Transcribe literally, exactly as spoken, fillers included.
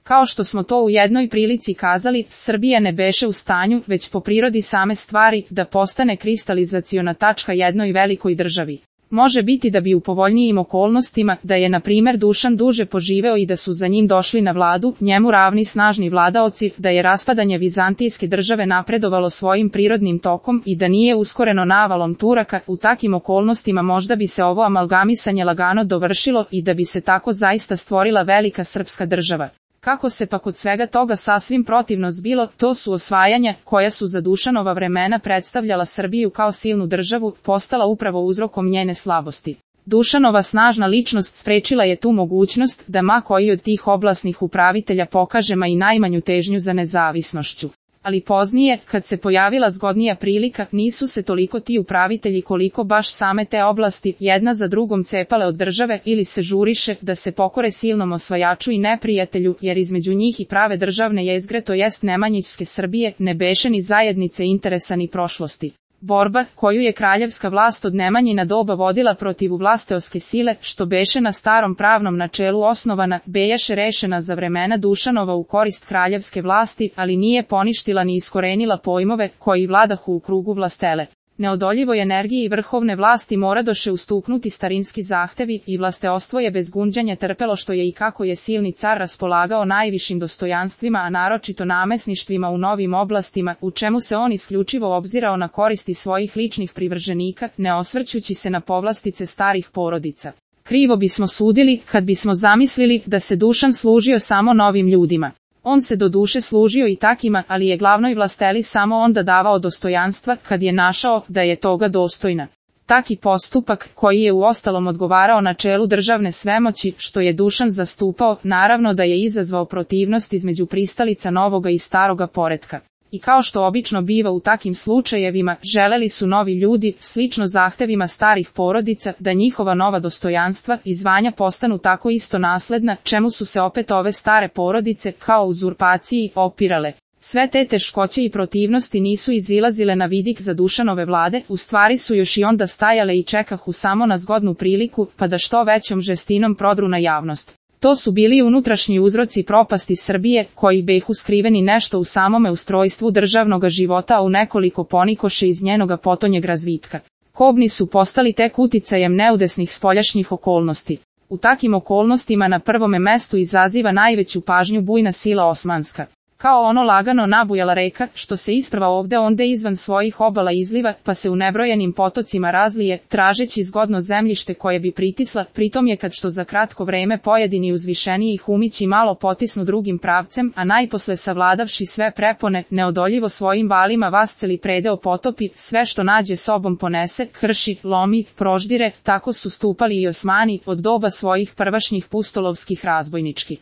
Kao što smo to u jednoj prilici kazali, Srbija ne beše u stanju, već po prirodi same stvari, da postane kristalizaciona tačka jednoj velikoj državi. Može biti da bi u povoljnijim okolnostima, da je na primer Dušan duže poživeo i da su za njim došli na vladu, njemu ravni snažni vladaoci, da je raspadanje vizantijske države napredovalo svojim prirodnim tokom i da nije uskoreno navalom Turaka, u takim okolnostima možda bi se ovo amalgamisanje lagano dovršilo i da bi se tako zaista stvorila velika srpska država. Kako se pa kod svega toga sasvim protivno zbilo, to su osvajanja, koja su za Dušanova vremena predstavljala Srbiju kao silnu državu, postala upravo uzrokom njene slabosti. Dušanova snažna ličnost sprečila je tu mogućnost da ma koji od tih oblasnih upravitelja pokaže ma i najmanju težnju za nezavisnošću. Ali poznije, kad se pojavila zgodnija prilika, nisu se toliko ti upravitelji koliko baš same te oblasti jedna za drugom cepale od države ili se žuriše da se pokore silnom osvajaču i neprijatelju, jer između njih i prave državne jezgre, to jest Nemanjićske Srbije, ne beše ni zajednice interesa ni prošlosti. Borba, koju je kraljevska vlast od Nemanjina doba vodila protiv vlasteoske sile, što beše na starom pravnom načelu osnovana, bejaše rešena za vremena Dušanova u korist kraljevske vlasti, ali nije poništila ni iskorenila pojmove koji vladahu u krugu vlastele. Neodoljivoj energiji vrhovne vlasti moradoše ustuknuti starinski zahtevi i vlasteostvo je bez gunđanja trpelo što je i kako je silni car raspolagao najvišim dostojanstvima, a naročito namesništvima u novim oblastima, u čemu se on isključivo obzirao na koristi svojih ličnih privrženika, ne osvrćući se na povlastice starih porodica. Krivo bismo sudili kad bismo zamislili da se Dušan služio samo novim ljudima. On se do duše služio i takima, ali je glavnoj vlasteli samo onda davao dostojanstva kad je našao da je toga dostojna. Taki postupak, koji je u ostalom odgovarao načelu državne svemoći, što je Dušan zastupao, naravno da je izazvao protivnost između pristalica novoga i staroga poretka. I kao što obično biva u takim slučajevima, želeli su novi ljudi, slično zahtevima starih porodica, da njihova nova dostojanstva i zvanja postanu tako isto nasledna, čemu su se opet ove stare porodice, kao uzurpaciji, opirale. Sve te teškoće i protivnosti nisu izilazile na vidik za Dušanove vlade, u stvari su još i onda stajale i čekahu samo na zgodnu priliku, pa da što većom žestinom prodru na javnost. To su bili unutrašnji uzroci propasti Srbije, koji behu skriveni nešto u samome ustrojstvu državnoga života, a u nekoliko ponikoše iz njenoga potonjeg razvitka. Kobni su postali tek uticajem neudesnih spoljašnjih okolnosti. U takim okolnostima na prvome mestu izaziva najveću pažnju bujna sila osmanska. Kao ono lagano nabujala reka, što se isprva ovde onde izvan svojih obala izliva, pa se u nebrojenim potocima razlije, tražeći zgodno zemljište koje bi pritisla, pritom je kad što za kratko vreme pojedini uzvišeniji humići malo potisnu drugim pravcem, a najposle savladavši sve prepone, neodoljivo svojim valima vasceli predeo potopi, sve što nađe sobom ponese, krši, lomi, proždire, tako su stupali i Osmani, od doba svojih prvašnjih pustolovskih razbojničkih